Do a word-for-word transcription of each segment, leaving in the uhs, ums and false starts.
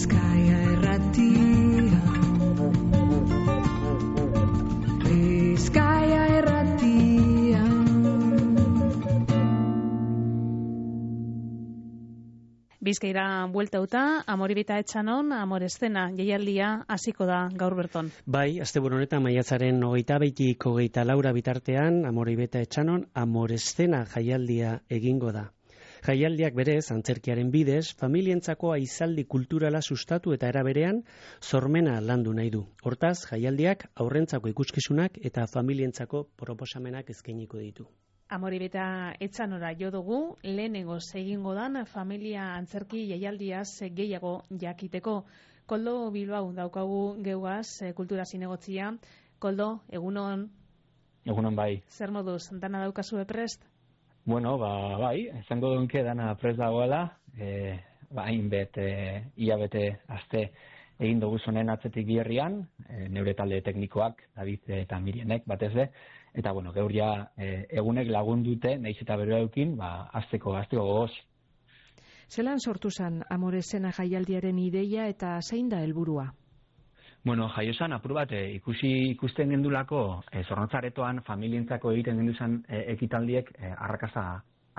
Bizkaia Irratia, Bizkaia Irratia. Bizkaira bueltauta, Amoribita Etxanon, Amoreszena jaialdia hasiko da gaur berton. Bai, asteburu honetan maiatzaren hogeita beitik hogeita laura bitartean, Amoribita Etxanon, Amoreszena jaialdia egingo da. Jaialdiak berez, antzerkiaren bidez, familientzako aizaldi kulturala sustatu eta eraberean sormena landu nahi du. Hortaz, jaialdiak aurrentzako ikuskizunak eta familientzako proposamenak eskainiko ditu. Amoribita Etxanora jo dugu, lehenengoz egingo dan familia antzerki jaialdiaz gehiago jakiteko. Koldo Bilbao daukagu geugaz, kultura zinegotzia. Koldo, egunon? Egunon bai. Zer moduz, dana daukazue prest? Bueno, ba, bai, esango dunke dana prest dagoela, e, ba, hainbet, e, ia bete aste egin dugu zonen atzetik bierrian, e, neure talde teknikoak, David eta Mirienek, batez de, eta, bueno, gaur ja e, egunek lagundute, nahiz eta beroa eukin, ba, azteko, azteko gogoz. Zelan sortu zen Amoreszena jaialdiaren ideia eta zein da helburua? Bueno, jaiosan apur bat, e, ikusi ikusten gendulako, e, zornotzaretoan familientzako egiten genduzan e, ekitaldiek e, arrakasta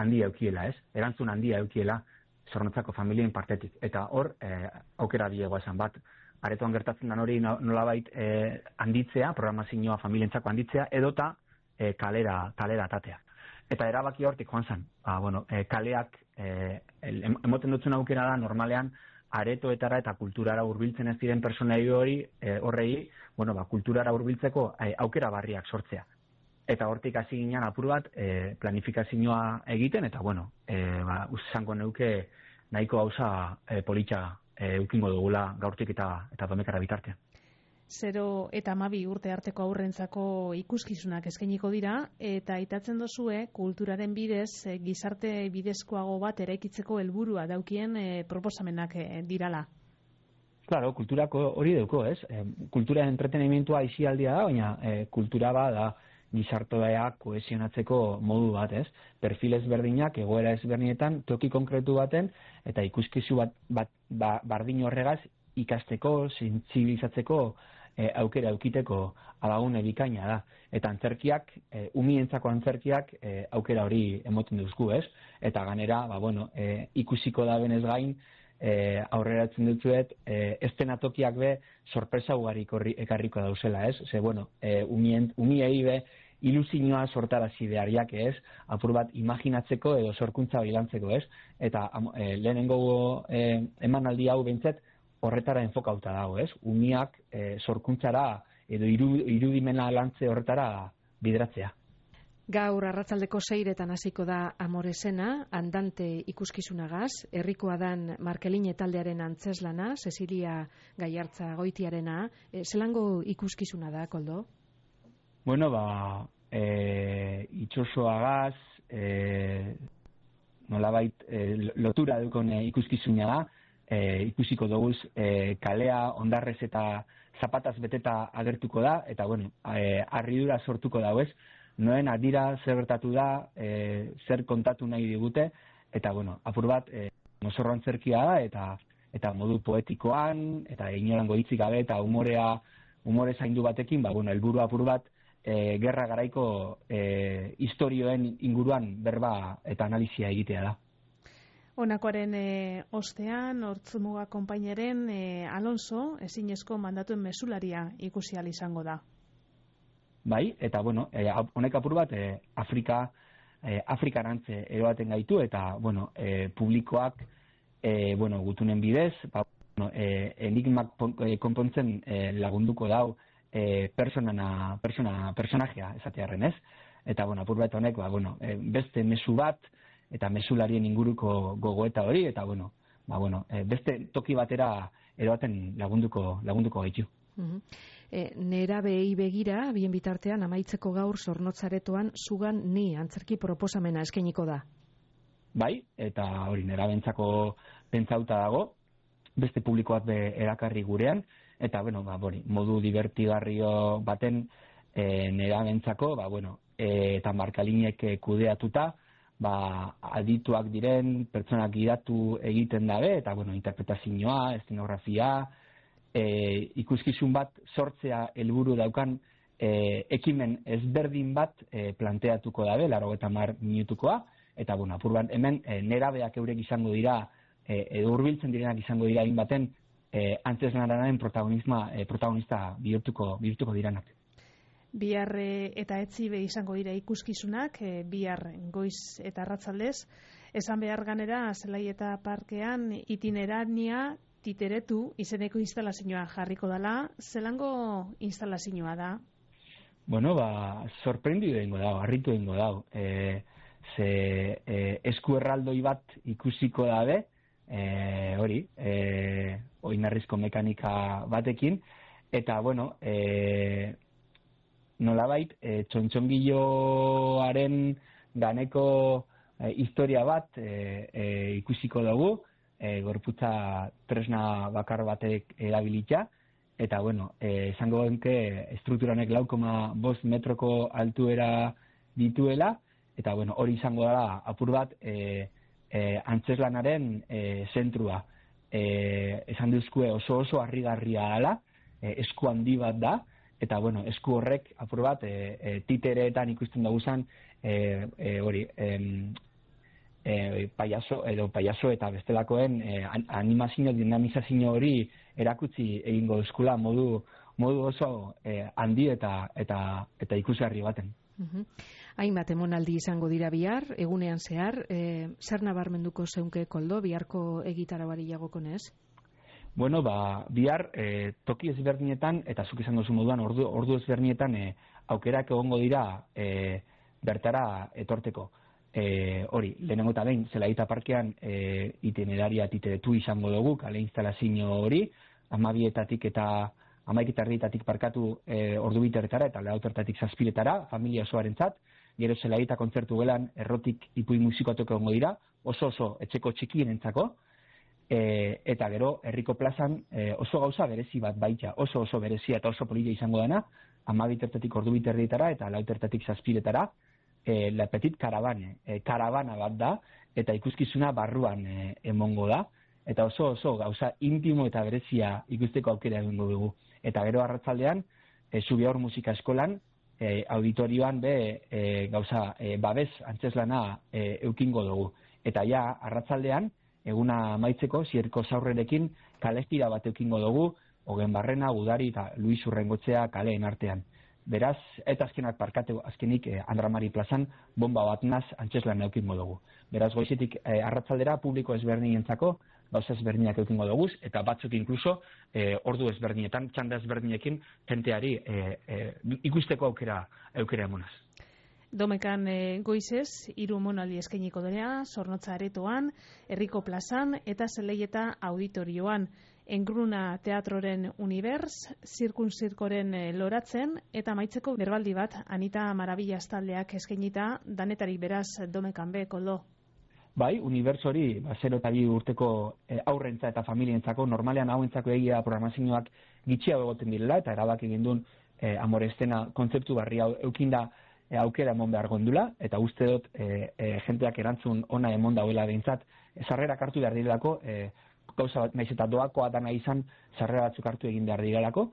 handia eukiela, ez? Erantzun handia eukiela zornotzako familien partetik. Eta hor, e, aukera diegoa esan bat, aretoan gertatzen den hori nolabait e, handitzea, programazioa familientzako handitzea, edota e, kalera, kalera atatea. Eta erabaki hortik joan zen, ba, bueno, e, kaleak, e, emoten dutzen aukera da normalean, aretoetara eta kulturara hurbiltzen ez diren personai hori, e, horrei, bueno, ba, kulturara hurbiltzeko e, aukera barriak sortzea. Eta hortik hasi ginen apur bat e, planifikazioa egiten, eta bueno, e, ba, uzango neuke nahiko gauza e, politxa e, eukingo dugula gaurtik eta eta domekara bitartean. Zero eta hamabi urte arteko aurrentzako ikuskizunak eskainiko dira, eta aitatzen dozue kulturaren bidez, e, gizarte bidezkoago bat eraikitzeko helburua daukien e, proposamenak e, dirala. Claro, kulturako hori dauko, ez? E, kultura entretenimientua isialdia da, baina e, kultura ba da gizartea kohesionatzeko modu bat, ez? Perfil ezberdinak, egoera ezberdinetan, toki konkretu baten, eta ikuskizu bat, bat ba, bardin horregaz ikasteko, sentsibilizatzeko, E, aukera aukiteko alagune bikaina da. Eta antzerkiak, e, umientzako antzerkiak e, aukera hori emoten duzku, ez? Eta ganera, ba, bueno, e, ikusiko da benez gain, e, aurreratzen dutzuet, e, estenatokiak be sorpresa ugarik ekarriko dauzela, ez? Ze, bueno, e, umien, umiei be ilusioa sortarazi behariak, ez? Apur bat imaginatzeko edo sorkuntza bilantzeko, ez? Eta e, lehenengo e, emanaldi hau behintzet, horretara enfokauta dago, ez? Umiak e, sorkuntzara edo iru, irudimena lantze horretara bideratzea. Gaur arratsaldeko seiretan hasiko da Amoreszena, andante ikuskizunagaz, herrikoa dan Markeline taldearen antzeslana, Cecilia Gaiartza goitiarena. E, zelango ikuskizuna da, Koldo? Bueno, ba, e, itxosoagaz, e, nolabait e, lotura dukon e, ikuskizuna da, E, ikusiko doguz e, kalea ondarrez eta zapataz beteta agertuko da, eta bueno, e, harridura sortuko dago ez, noen adira zer gertatu da, e, zer kontatu nahi digute, eta bueno, apur bat, e, mozorro antzerkia da, eta eta modu poetikoan, eta inorango hitzik gabe, eta umorea, umore zaindu batekin, ba, bueno, helburu apur bat, e, gerra garaiko e, historioen inguruan berba eta analizia egitea da. Honakoaren e, ostean, Hortzumuga konpainaren e, Alonso, ezinezko mandatuen mesularia ikusi ahal izango da. Bai, eta bueno, e, honek apur bat, e, Afrika, e, Afrikarantze eroaten gaitu, eta bueno, e, publikoak, e, bueno, gutunen bidez, ba, bueno, e, enigmak konpontzen e, lagunduko dau e, personana, persona, personajea esatearren, ez? Eta bueno, apur bat honek, ba, bueno, e, beste mezu bat, eta mesularien inguruko gogoeta hori, eta bueno, ba, bueno, e, beste toki batera eroaten lagunduko, lagunduko gaitu. Uh-huh. E, nerabei begira, bien bitartean amaitzeko gaur Zornotzaretoan zugan ni antzerki proposamena eskainiko da. Bai, eta hori nerabentzako pentsauta dago, beste publikoak be erakarri gurean, eta bueno, ba, bori, modu divertigarrio baten e, nerabentzako, ba, bueno, e, eta Markalinek kudeatuta, ba, adituak diren pertsonak gidatu egiten dabe, eta bueno, interpretazioa, eszenografia, e, ikuskizun bat sortzea helburu daukan e, ekimen ezberdin bat e, planteatuko dabe, laurogeita hamar minutukoa, eta bueno, apur bat hemen e, nerabeak eurek izango dira, e, edo hurbiltzen direnak izango dira hainbaten e, antzeslanaren protagonisma e, protagonista bihurtuko bihurtuko diranak. Bihar eta etzibe izango dira ikuskizunak, e, bihar goiz eta arratzaldez. Esan behar ganera, Zelaieta Parkean itinerania titeretu izeneko instalazioa jarriko dela. Zelango instalazioa da? Bueno, ba, sorprendidu egingo dago, harritu egingo dago. E, ze e, esku erraldoi bat ikusiko dabe, e, hori, e, oinarrizko mekanika batekin, eta, bueno, e, nolabait, e, txontxongilloaren ganeko e, historia bat e, e, ikusiko dugu, e, gorputza tresna bakar batek erabilita, eta, bueno, e, esango genke estrukturanek lau koma bost metroko altuera dituela, eta, bueno, hori izango dela apur bat e, e, antzeslanaren e, zentrua. E, esan duzkue oso oso harrigarria dela, e, esku handi bat da, eta, bueno, esku horrek, apur bat, e, e, titereetan ikusten dugu zen, e, e, hori, e, e, paiaso, edo paiaso eta bestelakoen e, animazio, dinamizazio hori erakutsi egingo eskula modu, modu oso e, handi eta, eta, eta ikusgarri baten. Uhum. Hainbat emonaldi izango dira bihar, egunean zehar, e, zer nabarmenduko zeunke Koldo, biharko egitarauari jagokonez? Bueno, ba, bihar e, toki ezberdinetan, eta zuk izan duzu moduan, ordu, ordu ezberdinetan e, aukerak egongo dira e, bertara etorteko. E, hori, lehenengo eta behin, Zelaieta Parkean e, itineraria titeretu izango dugu, kale instalazio hori, hamabietatik eta hamaiketarrietatik parkatu e, ordu biterretara eta lautertatik zazpiretara, familia osoarentzat, gero Zelaieta kontzertu gelan, errotik ipui musikoatok egongo dira, oso oso etxeko txikienentzako, E, eta gero herriko plazan e, oso gauza berezi bat baita, oso oso berezia eta oso polita izango dena, hamabitertatik ordu biterrietara eta lautertatik zazpiretara, e, La Petit Caravane, e, karabana bat da, eta ikuskizuna barruan e, emongo da, eta oso oso gauza intimo eta berezia ikusteko aukera egingo dugu. Eta gero arratzaldean, e, Zubiaur Musika Eskolan, e, auditorioan be e, gauza e, babes antzeslana e, eukingo dugu. Eta ja, arratzaldean, eguna amaitzeko, zierko zaurrerekin kalestira bat eukingo dugu, Ogen Barrena, Gudari eta Luis Urrengotzea kaleen artean. Beraz, eta azkenak parkatu, azkenik eh, Andramari plazan, bomba bat naz antzeslan eukingo dugu. Beraz, goizetik eh, arratzaldera publiko ezberdinentzako, gauza ezberdinak eukingo dugu, eta batzuk inkluso eh, ordu ezberdinetan, txanda ezberdinekin, jenteari eh, eh, ikusteko aukera, aukera emonaz. Domekan e, goizez, hiru emonaldi eskainiko dira, Zornotza Aretoan, Herriko plazan eta Zelaieta auditorioan. Engruna Teatroren Univers, Zirkun Zirkoren e, loratzen, eta amaitzeko berbaldi bat, Anita Marabillas taldeak eskainita, danetarik beraz Domekan be, Koldo. Bai, Univers hori, ba, zero eta bi urteko e, aurrentza eta familientzako, normalean hauentzako egia programazioak gitxiago egoten direla, eta erabaki gindun e, Amore Eszena kontzeptu barri hau eukinda E, aukera emon behar gondula, eta uste dut e, e, jenteak erantzun ona emon dauela behintzat, e, sarrerak hartu behar direlako, e, gauza bat, naiz eta doakoa dana izan, sarrera batzuk hartu egin behar direlako,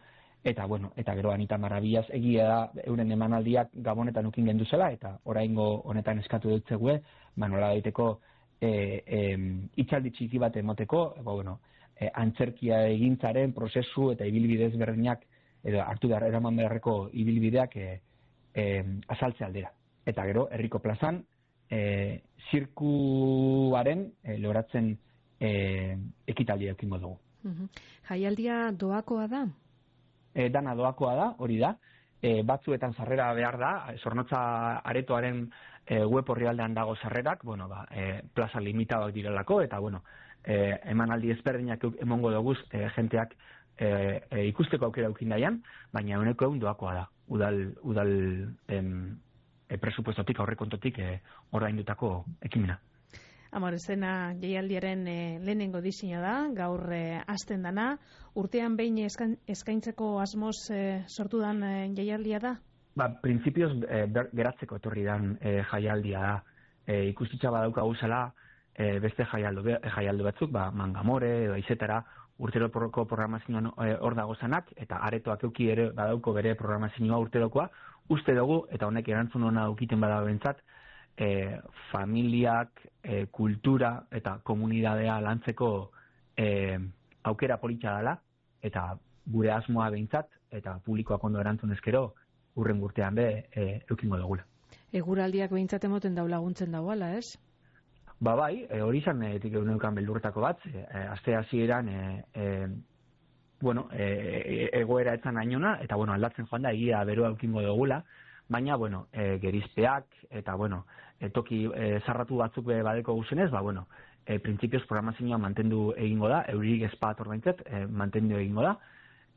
eta bueno, eta gero Anita Marabillas egia da euren emanaldiak Gabonetan ukin gendu zela, eta oraingo honetan eskatu dut zegue, manola daiteko e, e, itxaldi txiki bat emoteko, ba, bueno, e, antzerkia egintzaren prozesu eta ibilbidez berdinak, edo hartu behar eraman beharreko ibilbideak e, E, azaltze aldera. Eta gero, Herriko plazan, e, zirkuaren e, loratzen e, ekitaldia eukingo dugu. Uh-huh. Jaialdia doakoa da? E, dana doakoa da, hori da. E, batzuetan sarrera behar da, Zornotza Aretoaren e, web orrialdean dago sarrerak, bueno, ba, e, plaza limitadoak direlako, eta bueno, e, emanaldi ezberdinak emongo dugu e, jenteak e, e, ikusteko aukera eukin daian, baina honeko egun doakoa da. udal, udal em, e, presupuestotik, aurrekontotik e, ordaindutako ekimena. Amore Eszena jaialdiaren e, lehenengo disina da, gaur e, hasten dana, urtean behin eskaintzeko asmoz e, sortu dan e, jaialdia da? Ba, printzipioz e, ber, geratzeko etorri dan e, jaialdia da. e, ikustitza badaukagu zela e, beste jaialdu, jaialdu batzuk, ba, Mangamore edo Aizetara urteroko programazioan hor dago zanak, eta aretoak euki ere badauko bere programazioa urterokoa, uste dugu, eta honek erantzun hona aukiten bada bentsat, e, familiak, e, kultura eta komunidadea lantzeko e, aukera politxa dela, eta gure asmoa behintzat, eta publikoak ondo erantzun ezkero, urren urtean be, e, eukingo dugula. Eguraldiak behintzat emoten dau laguntzen dauala, ez? Ba bai, e, hori izan etik eguneukan beldurretako bat, e, aste hasieran e, e, bueno, e, egoera etzan ainona, eta bueno, aldatzen joan da, egia beroa eukingo dugula, baina, bueno, e, gerizpeak, eta bueno, e, toki e, zarratu batzuk be badeko guzenez, ba bueno, e, printzipioz programazioa mantendu egingo da, eurik ezpat ordaintzet, e, mantendu egingo da,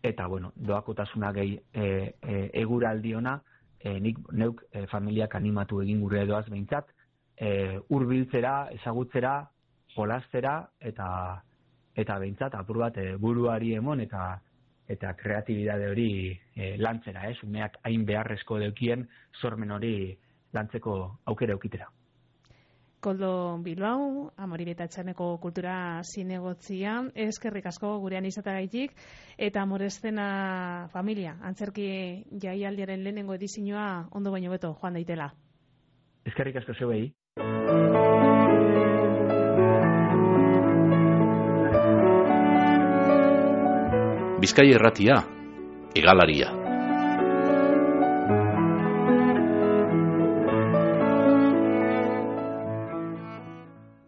eta bueno, doakotasuna gehi e, e, eguraldiona, e, nik neuk e, familiak animatu egin gure edoaz behintzat, e, urbiltzera, ezagutzera, jolastera, eta eta behintzat apur bat e, buruari emon eta eta kreatibidade hori e, lantzera, ez? Umeak hain beharrezko deukien sormen hori lantzeko aukera eukitera. Koldo Bilbao, Amoribeta Etxaneko kultura zinegotzia, eskerrik asko gurean izatagaitik, eta Amoreszena familia, antzerki jaialdiaren lehenengo edizioa ondo baino beto joan daitela. Eskerrik asko zeuei. Bizkaia Irratia, Hegalaria.